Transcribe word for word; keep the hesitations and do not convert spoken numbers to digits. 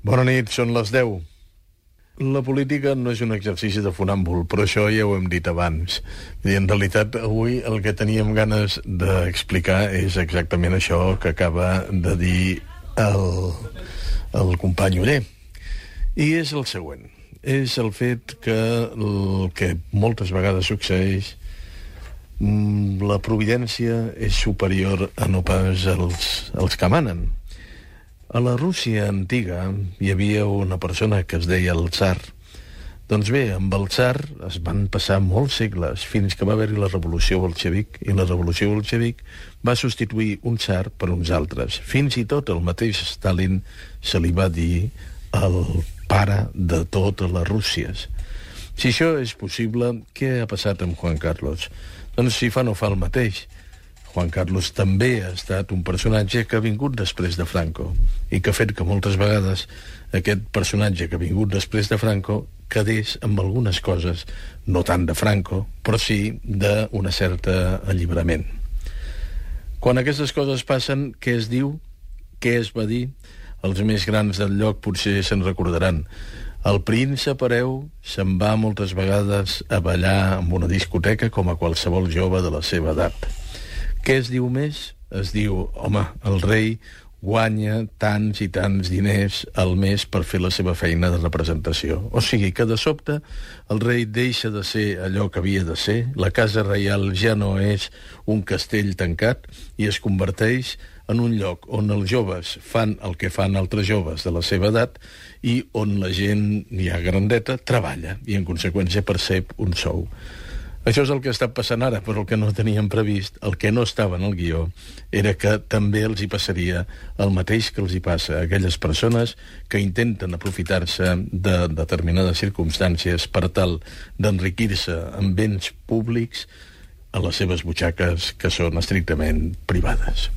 Bona nit, són les deu. La política no és un exercici de funàmbul, però això ja ho hem dit abans. I en realitat, avui el que teníem ganes d'explicar és exactament això que acaba de dir el, el company Oller. I és el següent. És el fet que el que moltes vegades succeeix, la providència és superior a no pas als, als que manen. A la Rússia antiga hi havia una persona que es deia el tsar. Doncs bé, amb el tsar es van passar molts segles fins que va haver-hi la revolució bolxevic, i la revolució bolxevic va substituir un tsar per uns altres. Fins i tot el mateix Stalin se li va dir el pare de totes les Rússies. Si això és possible, què ha passat amb Juan Carlos? Doncs si fa no fa el mateix. Juan Carlos també ha estat un personatge que ha vingut després de Franco i que ha fet que moltes vegades aquest personatge que ha vingut després de Franco quedés amb algunes coses, no tant de Franco, però sí d'una certa alliberament. Quan aquestes coses passen, què es diu? Què es va dir? Els més grans del lloc potser se'n recordaran. El príncep hereu se'n va moltes vegades a ballar en una discoteca com a qualsevol jove de la seva edat. Què es diu més? Es diu, home, el rei guanya tants i tants diners al mes per fer la seva feina de representació. O sigui que de sobte el rei deixa de ser allò que havia de ser, la casa reial ja no és un castell tancat i es converteix en un lloc on els joves fan el que fan altres joves de la seva edat i on la gent ja grandeta treballa i en conseqüència percep un sou. Això és el que està passant ara, però el que no teníem previst, el que no estava en el guió, era que també els hi passaria el mateix que els hi passa a aquelles persones que intenten aprofitar-se de determinades circumstàncies per tal d'enriquir-se amb béns públics a les seves butxaques que són estrictament privades.